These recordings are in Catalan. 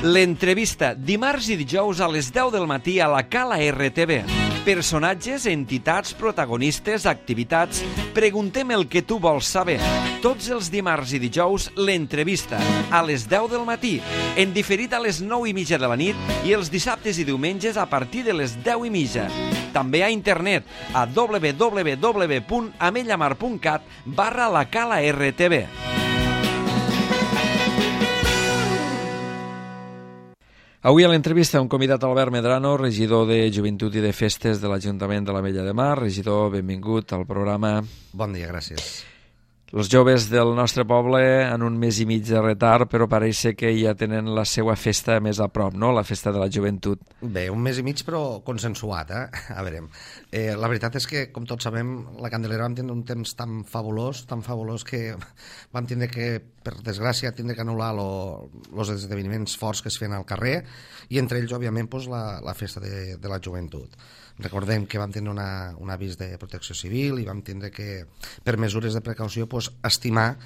L'entrevista, dimarts i dijous a les 10 del matí a la Cala RTV. Personatges, entitats, protagonistes, activitats... Preguntem el que tu vols saber. Tots els dimarts i dijous, l'entrevista, a les 10 del matí, en diferit a les 9:30 de la nit i els dissabtes i diumenges a partir de les 10:30. També a internet a www.amellamar.cat/la Cala RTV. Avui a l'entrevista hem convidat Albert Medrano, regidor de Joventut i de Festes de l'Ajuntament de l'Ametlla de Mar. Regidor, benvingut al programa. Bon dia, gràcies. Els joves del nostre poble en un mes i mig de retard, però pareix ser que ja tenen la seva festa més a prop, no? La festa de la joventut. Bé, un mes i mig però consensuat, eh? A veure, la veritat és que, com tots sabem, la Candelera vam tenir un temps tan fabulós que vam tindre que, per desgràcia, tindre que anul·lar els esdeveniments forts que es feien al carrer, i entre ells, òbviament, la festa de la joventut. Recordem que vam tenir un avís de protecció civil i vam tindre que, per mesures de precaució, estimar,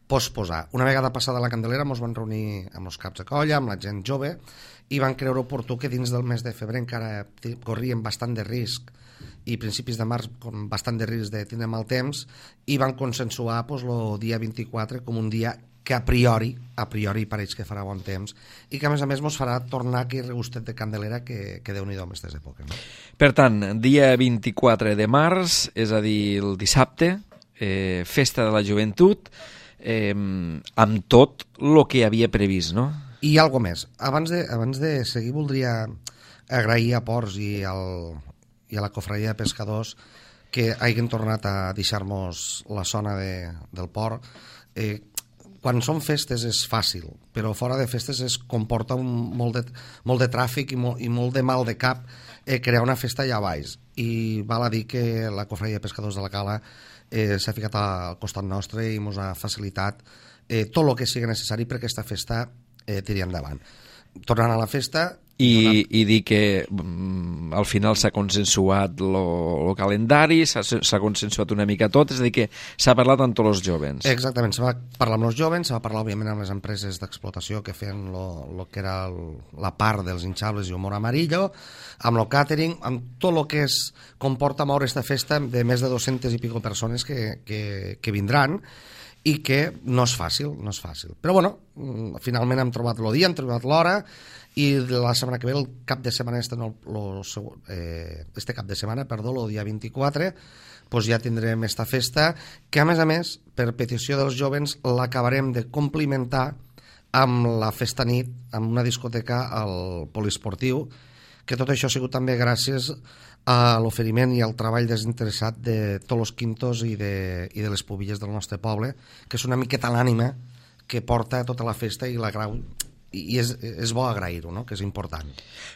posposar. Una vegada passada la Candelera ens vam reunir amb els caps de colla, amb la gent jove, i van creure oportú que dins del mes de febrer encara corrien bastant de risc i principis de març con bastant de risc de tindre mal temps, i van consensuar el dia 24 com un dia que a priori pareix que farà bon temps i que a més ens farà tornar aquell regustet de Candelera que Déu-n'hi-do en aquestes èpoques. No? Per tant, dia 24 de març, és a dir, el dissabte, festa de la joventut, amb tot el que havia previst, no? I alguna més. Abans de seguir voldria agrair a Ports i a la Cofradia de Pescadors que hagin tornat a deixar-nos la zona del port. Quan són festes és fàcil, però fora de festes comporta molt de tràfic i molt de mal de cap crear una festa allà baix. I val a dir que la Cofradia de Pescadors de la Cala s'ha ficat al costat nostre i ens ha facilitat tot el que sigui necessari perquè aquesta festa tiri endavant. Tornant a la festa... I dir que al final s'ha consensuat el calendari, s'ha consensuat una mica tot, és a dir que s'ha parlat amb tots els jóvens. Exactament, se va parlar amb els jóvens, se va parlar òbviament amb les empreses d'explotació que feien el que era la part dels hinchables i humor amarillo, amb el catering, amb tot el que comporta moure aquesta festa de més de 200 i pico persones que vindran, i que no és fàcil. Però bueno, finalment hem trobat el dia, hem trobat l'hora, i la setmana que ve, el cap de setmana el dia 24, ja tindrem aquesta festa, que a més, per petició dels jovens, l'acabarem de complementar amb la festa nit, amb una discoteca al poliesportiu, que tot això ha sigut també gràcies a l'oferiment i al treball desinteressat de tots els quintos i de les pubilles del nostre poble, que és una miqueta l'ànima que porta tota la festa i la grau, i és bo agrair-ho, no? Que és important.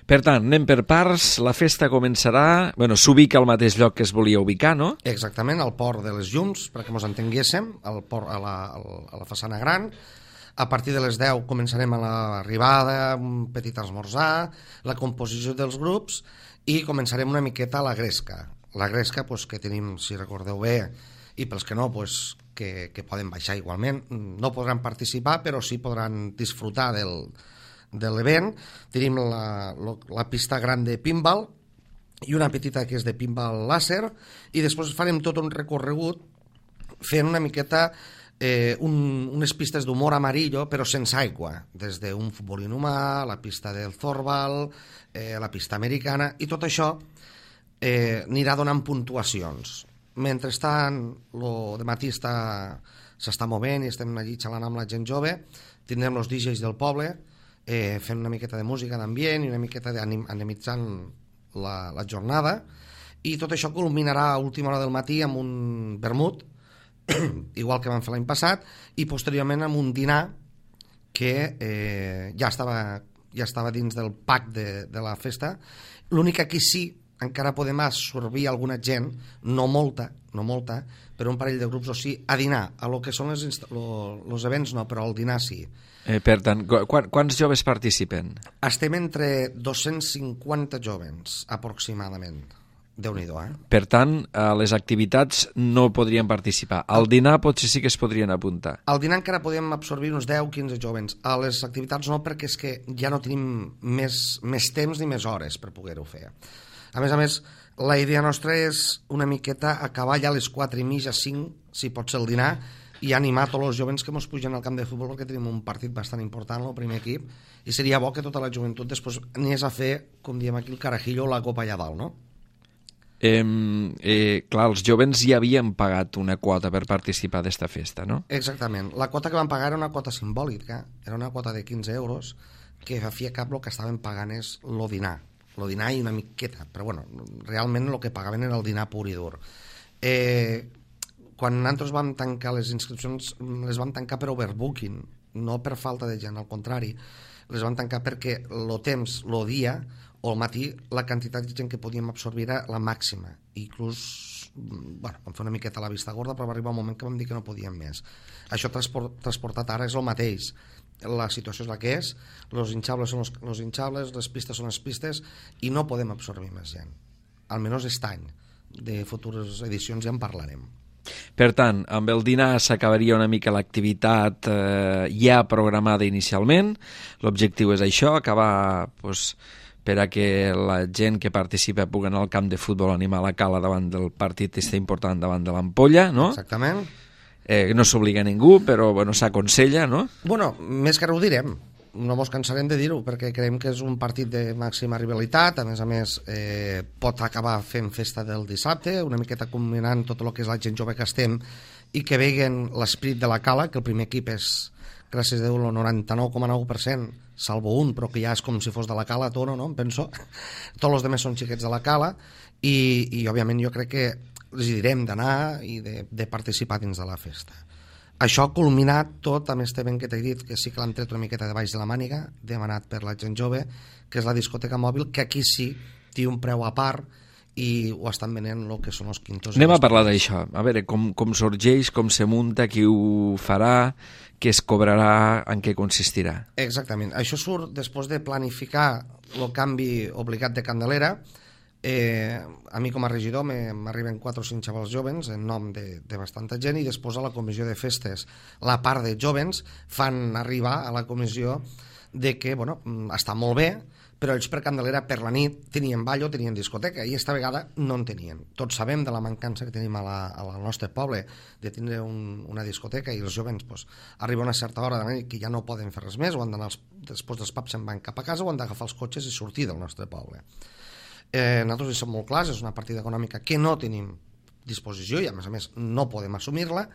Per tant, anem per parts, la festa començarà, s'ubica al mateix lloc que es volia ubicar, no? Exactament, al port de les Llums, perquè ens entenguéssim, al port, a la façana gran. A partir de les 10 començarem a l'arribada, un petit esmorzar, la composició dels grups, i començarem una miqueta a la gresca. La gresca, que tenim, si recordeu bé, i pels que no, que poden baixar igualment, no podran participar, però sí podran disfrutar de l'event. Tenim la pista gran de pinball i una petita que és de pinball làser, i després farem tot un recorregut fent una miqueta unes pistes d'humor amarillo però sense aigua, des d'un futbol inhumà, la pista del Zorbal, la pista americana, i tot això anirà donant puntuacions. Mentrestant, el dematí s'està movent i estem allí xalant amb la gent jove, tindrem els DJs del poble fent una miqueta de música d'ambient i una miqueta d'animitzant la jornada, i tot això culminarà a última hora del matí amb un vermut, igual que vam fer l'any passat, i posteriorment amb un dinar que ja estava dins del pack de la festa. L'únic que aquí sí encara podem absorbir alguna gent, no molta, però un parell de grups o sí, a dinar. A lo que són els events no, però al dinar sí. Per tant, quants joves participen? Estem entre 250 jovens, aproximadament. Déu-n'hi-do, Per tant, a les activitats no podrien participar. Al dinar potser sí que es podrien apuntar. Al dinar encara podem absorbir uns 10-15 jovens. A les activitats no, perquè és que ja no tenim més temps ni més hores per poder-ho fer. A més, la idea nostra és una miqueta acabar ja a les 4:30, 5, si pot ser el dinar, i animar tots els jovens que ens pugen al camp de futbol, perquè tenim un partit bastant important, el primer equip, i seria bo que tota la joventut després anés a fer, com diem aquí, el carajillo o la copa allà dalt, no? Clar, els jovens ja havien pagat una quota per participar d'esta festa, no? Exactament. La quota que van pagar era una quota simbòlica, era una quota de 15 euros, que a fi i a cap el que estaven pagant és el dinar i una miqueta, però bueno, realment el que pagaven era el dinar pur i dur. Quan nosaltres vam tancar les inscripcions, les vam tancar per overbooking, no per falta de gent, al contrari, les vam tancar perquè el temps, el dia o al matí, la quantitat de gent que podíem absorbir era la màxima. Inclús, bueno, vam fer una miqueta la vista gorda, però va arribar un moment que vam dir que no podíem més. Això transportat ara és el mateix. La situació és la que és, els hinchables són els hinchables, les pistes són les pistes, i no podem absorbir més gent. Almenys aquest any. De futures edicions ja en parlarem. Per tant, amb el dinar s'acabaria una mica l'activitat ja programada inicialment. L'objectiu és això, acabar per a que la gent que participa pugui anar al camp de futbol a animar la cala davant del partit important davant de l'Ampolla, no? Exactament. No s'obliga a ningú, però bueno, s'aconsella, no? Bueno, més que ara ho direm. No mos cansarem de dir-ho, perquè creiem que és un partit de màxima rivalitat. A més, pot acabar fent festa del dissabte, una miqueta combinant tot el que és la gent jove que estem i que veguen l'esprit de la cala, que el primer equip és, gràcies a Déu, el 99,9%, salvo un, però que ja és com si fos de la cala, Toro, no? Em penso. Tots els altres són xiquets de la cala i òbviament, jo crec que els direm d'anar i de participar dins de la festa. Això ha culminat tot amb este event que t'he dit, que sí que l'hem tret una miqueta de baix de la màniga, demanat per la gent jove, que és la discoteca mòbil, que aquí sí té un preu a part i ho estan venent el que són els quintos. Anem a parlar d'això, a veure com sorgeix, com se munta, qui ho farà, què es cobrarà, en què consistirà. Exactament, això surt després de planificar el canvi obligat de Candelera. A mi com a regidor m'arriben 4 o 5 xavals jovens en nom de bastanta gent, i després a la comissió de festes la part de jovens fan arribar a la comissió de que, bueno, està molt bé, però ells per Candelera per la nit tenien ball o tenien discoteca, i esta vegada no en tenien. Tots sabem de la mancança que tenim al nostre poble de tindre una discoteca, i els jovens arriba una certa hora de la nit que ja no poden fer res més, o han d'anar després dels pubs se'n van cap a casa, o han d'agafar els cotxes i sortir del nostre poble. Nosaltres hi som molt clars, és una partida econòmica que no tenim disposició i a més no podem assumir-la,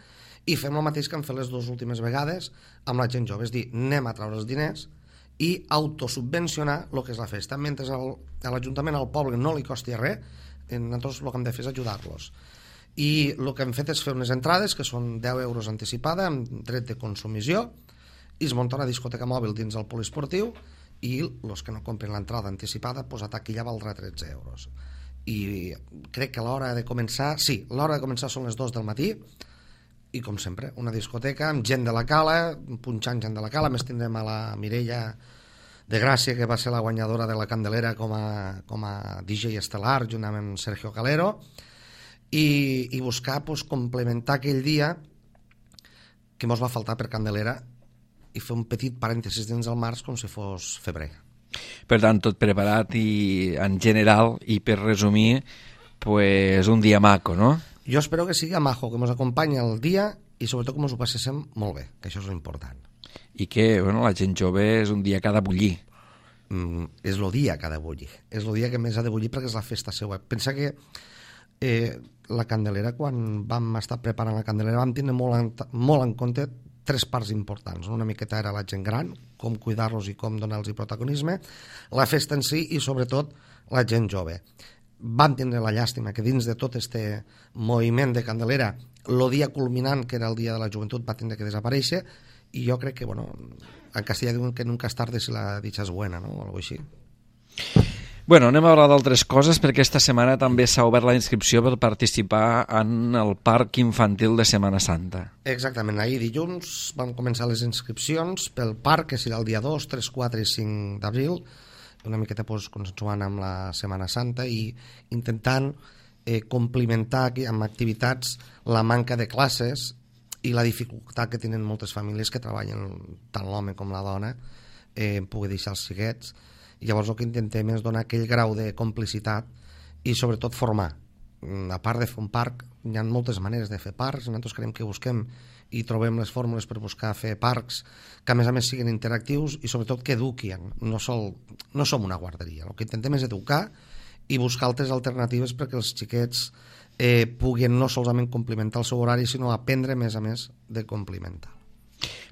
i fem el mateix que hem fet les 2 últimes vegades amb la gent jove, és dir, anem a treure els diners i autosubvencionar el que és la festa, mentre a l'Ajuntament, al poble, no li costi res. Nosaltres el que hem de fer és ajudar-los, i el que hem fet és fer unes entrades que són 10 euros anticipada amb dret de consumició, i es munta una discoteca mòbil dins el poliesportiu, i els que no compren l'entrada anticipada, a taquilla valdrà 13 euros. I crec que l'hora de començar, l'hora de començar són les 2 del matí, i com sempre, una discoteca amb gent de la cala, punxant gent de la cala. Més tindrem a la Mireia de Gràcia, que va ser la guanyadora de la Candelera com a DJ estel·lar, junt amb Sergio Calero, i buscar complementar aquell dia que mos va faltar per Candelera, i fer un petit parèntesis dins el març com si fos febrer. Per tant, tot preparat i en general, i per resumir, un dia maco, no? Jo espero que sigui maco, que ens acompanyi el dia i sobretot que ens ho passéssim molt bé, que això és l'important. I que la gent jove és un dia que ha de bullir. És el dia que ha de bullir. És el dia que més ha de bullir perquè és la festa seva. Pensa que la Candelera, quan vam estar preparant la Candelera, vam tenir molt en compte 3 parts importants. Una miqueta era la gent gran, com cuidar-los i com donar-los protagonisme, la festa en si i sobretot la gent jove. Vam tindre la llàstima que dins de tot este moviment de Candelera el dia culminant, que era el dia de la joventut, va tindre que desaparèixer, i jo crec que, en castellà diuen que nunca es tarde si la dicha és buena, no? O alguna cosa així. Anem a parlar d'altres coses, perquè esta setmana també s'ha obert la inscripció per participar en el Parc Infantil de Setmana Santa. Exactament, ahir dilluns vam començar les inscripcions pel parc, que serà el dia 2, 3, 4 i 5 d'abril, una miqueta consensuant amb la Setmana Santa i intentant complementar amb activitats la manca de classes i la dificultat que tenen moltes famílies que treballen, tant l'home com la dona, poder deixar els xiquets. I llavors el que intentem és donar aquell grau de complicitat i sobretot formar. A part de fer un parc, hi ha moltes maneres de fer parcs. Nosaltres creiem que busquem i trobem les fórmules per buscar fer parcs que a més siguin interactius i sobretot que eduquin. No som una guarderia, el que intentem és educar i buscar altres alternatives perquè els xiquets puguin no solament complementar el seu horari, sinó aprendre a més de complementar.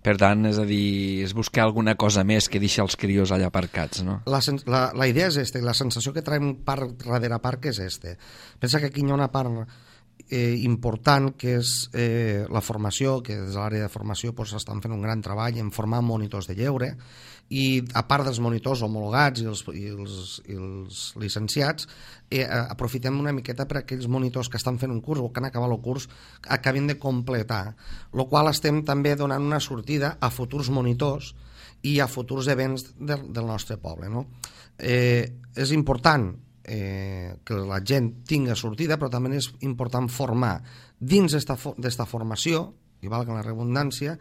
Per tant, és a dir, és buscar alguna cosa més que deixa els crios allà aparcats, no? La idea és la sensació que traiem parc darrere parc és Pensa que aquí hi ha una part important que és la formació, que des de l'àrea de formació estan fent un gran treball en formar monitors de lleure i a part dels monitors homologats i els llicenciats aprofitem una miqueta per aquells monitors que estan fent un curs o que han acabat el curs acabin de completar, el qual estem també donant una sortida a futurs monitors i a futurs events del nostre poble, no? És important que la gent tingui sortida, però també és important formar dins d'esta formació, i valga la redundància,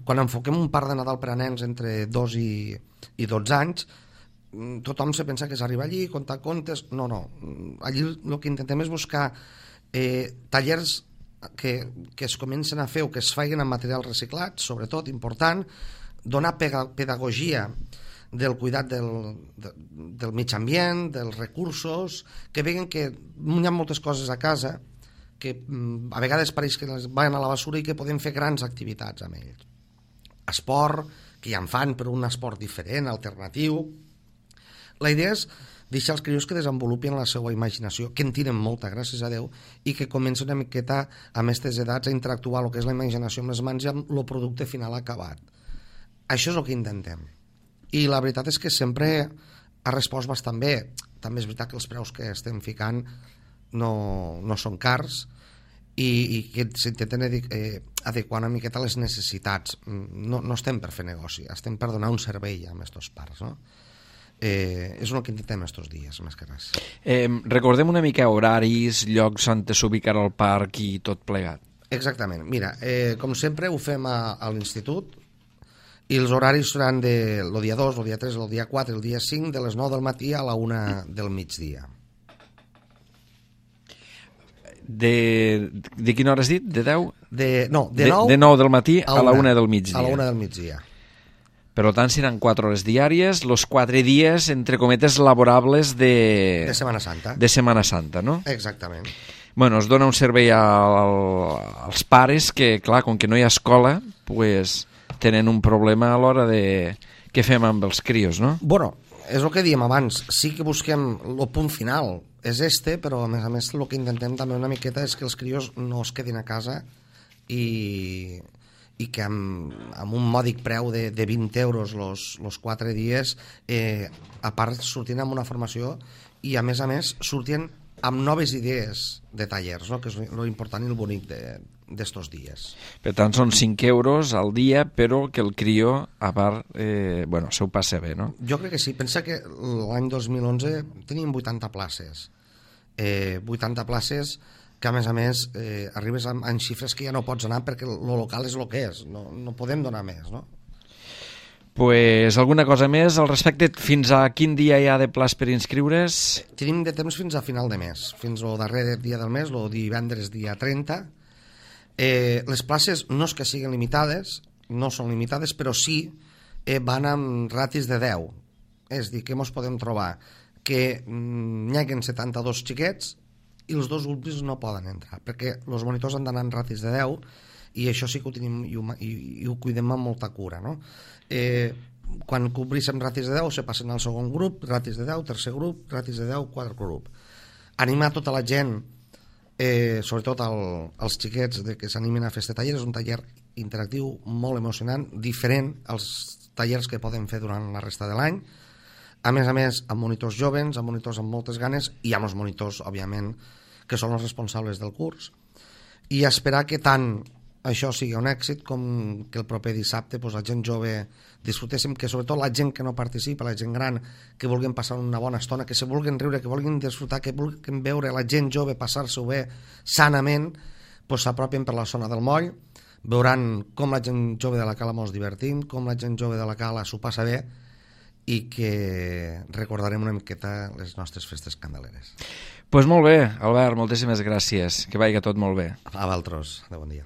quan enfoquem un parc de Nadal per a nens entre 2 i 12 anys, tothom se pensa que és arribar allí, contar contes. No. Allí el que intentem és buscar tallers que es comencen a fer o que es facin amb material reciclat, sobretot important, donar pedagogia del cuidat del mig ambient, dels recursos, que veuen que hi ha moltes coses a casa que a vegades pareix que van a la basura i que podem fer grans activitats amb ells. Esport, que ja en fan, però un esport diferent, alternatiu. La idea és deixar els crios que desenvolupin la seva imaginació, que en tenen molta, gràcies a Déu, i que comencen una miqueta a aquestes edats a interactuar el que és la imaginació amb les mans i amb el producte final acabat. Això és el que intentem. I la veritat és que sempre ha respost bastant bé. També és veritat que els preus que estem ficant no són cars i que s'intenten adequar una miqueta a les necessitats. No estem per fer negoci, estem per donar un servei a aquests parcs, no? És el que intentem estos dies, més que res. Recordem una mica horaris, llocs on s'ubicarà el parc i tot plegat. Exactament. Mira, com sempre ho fem a l'institut i els horaris seran el dia 2, el dia 3, el dia 4, el dia 5, de les 9 del matí a la 1 del migdia. De quina hora has dit? De 10? De 9 del matí a la 1 del migdia. A la 1 del migdia. Per tant, seran 4 hores diàries, els 4 dies, entre cometes, laborables de Setmana Santa. De Setmana Santa, no? Exactament. Bueno, es dona un servei als pares que, clar, com que no hi ha escola, pues, tenen un problema a l'hora de què fem amb els crios, no? Bueno, és el que dèiem abans, sí que busquem el punt final, és però a més el que intentem també una miqueta és que els crios no es quedin a casa i que amb un mòdic preu de 20 euros els 4 dies, a part sortint amb una formació i a més sortint amb noves idees de tallers, no? Que és l'important i el bonic d'estos dies. Per tant, són 5 euros al dia, però que el crio, a part, se ho passa bé, no? Jo crec que sí. Pensa que l'any 2011 teníem 80 places. 80 places que, a més, arribes en xifres que ja no pots anar perquè el local és el que és. No podem donar més, no? Pues alguna cosa més al respecte? Fins a quin dia hi ha de plaç per inscriure's? Tenim de temps fins a final de mes, fins al darrer dia del mes, el divendres dia 30. Les places no és que siguin limitades, no són limitades, però sí van amb ratis de 10. És a dir, que ens podem trobar que n'hi haguen 72 xiquets i els dos últims no poden entrar, perquè els monitors han d'anar en ratis de 10 i això sí que ho tenim i ho cuidem amb molta cura, no? Quan cobrissem ratis de 10 se passen al segon grup, ratis de 10, tercer grup, ratis de 10, quart grup. Animar tota la gent, sobretot els xiquets que s'animin a fer este taller. És un taller interactiu molt emocionant, diferent als tallers que poden fer durant la resta de l'any, a més amb monitors joves, amb monitors amb moltes ganes i amb els monitors, òbviament, que són els responsables del curs, i esperar que tant això sigui un èxit, com que el proper dissabte la gent jove disfrutéssim, que sobretot la gent que no participa, la gent gran, que vulguin passar una bona estona, que se vulguin riure, que vulguin disfrutar, que vulguin veure la gent jove passar-s'ho bé sanament, s'apropin per la zona del moll, veuran com la gent jove de la Cala mos divertim, com la gent jove de la Cala s'ho passa bé, i que recordarem una miqueta les nostres festes candeleres. Doncs molt bé, Albert, moltíssimes gràcies. Que vagi tot molt bé. A vosaltres, de bon dia.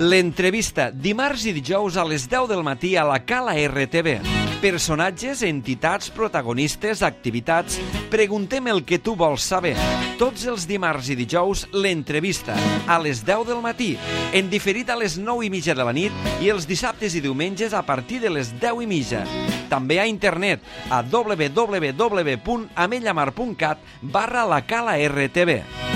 L'entrevista, dimarts i dijous a les 10 del matí a la Cala RTV. Personatges, entitats, protagonistes, activitats... Preguntem el que tu vols saber. Tots els dimarts i dijous, l'entrevista, a les 10 del matí, en diferit a les 9:30 de la nit i els dissabtes i diumenges a partir de les 10:30. També a internet a www.amellamar.cat/la Cala RTV.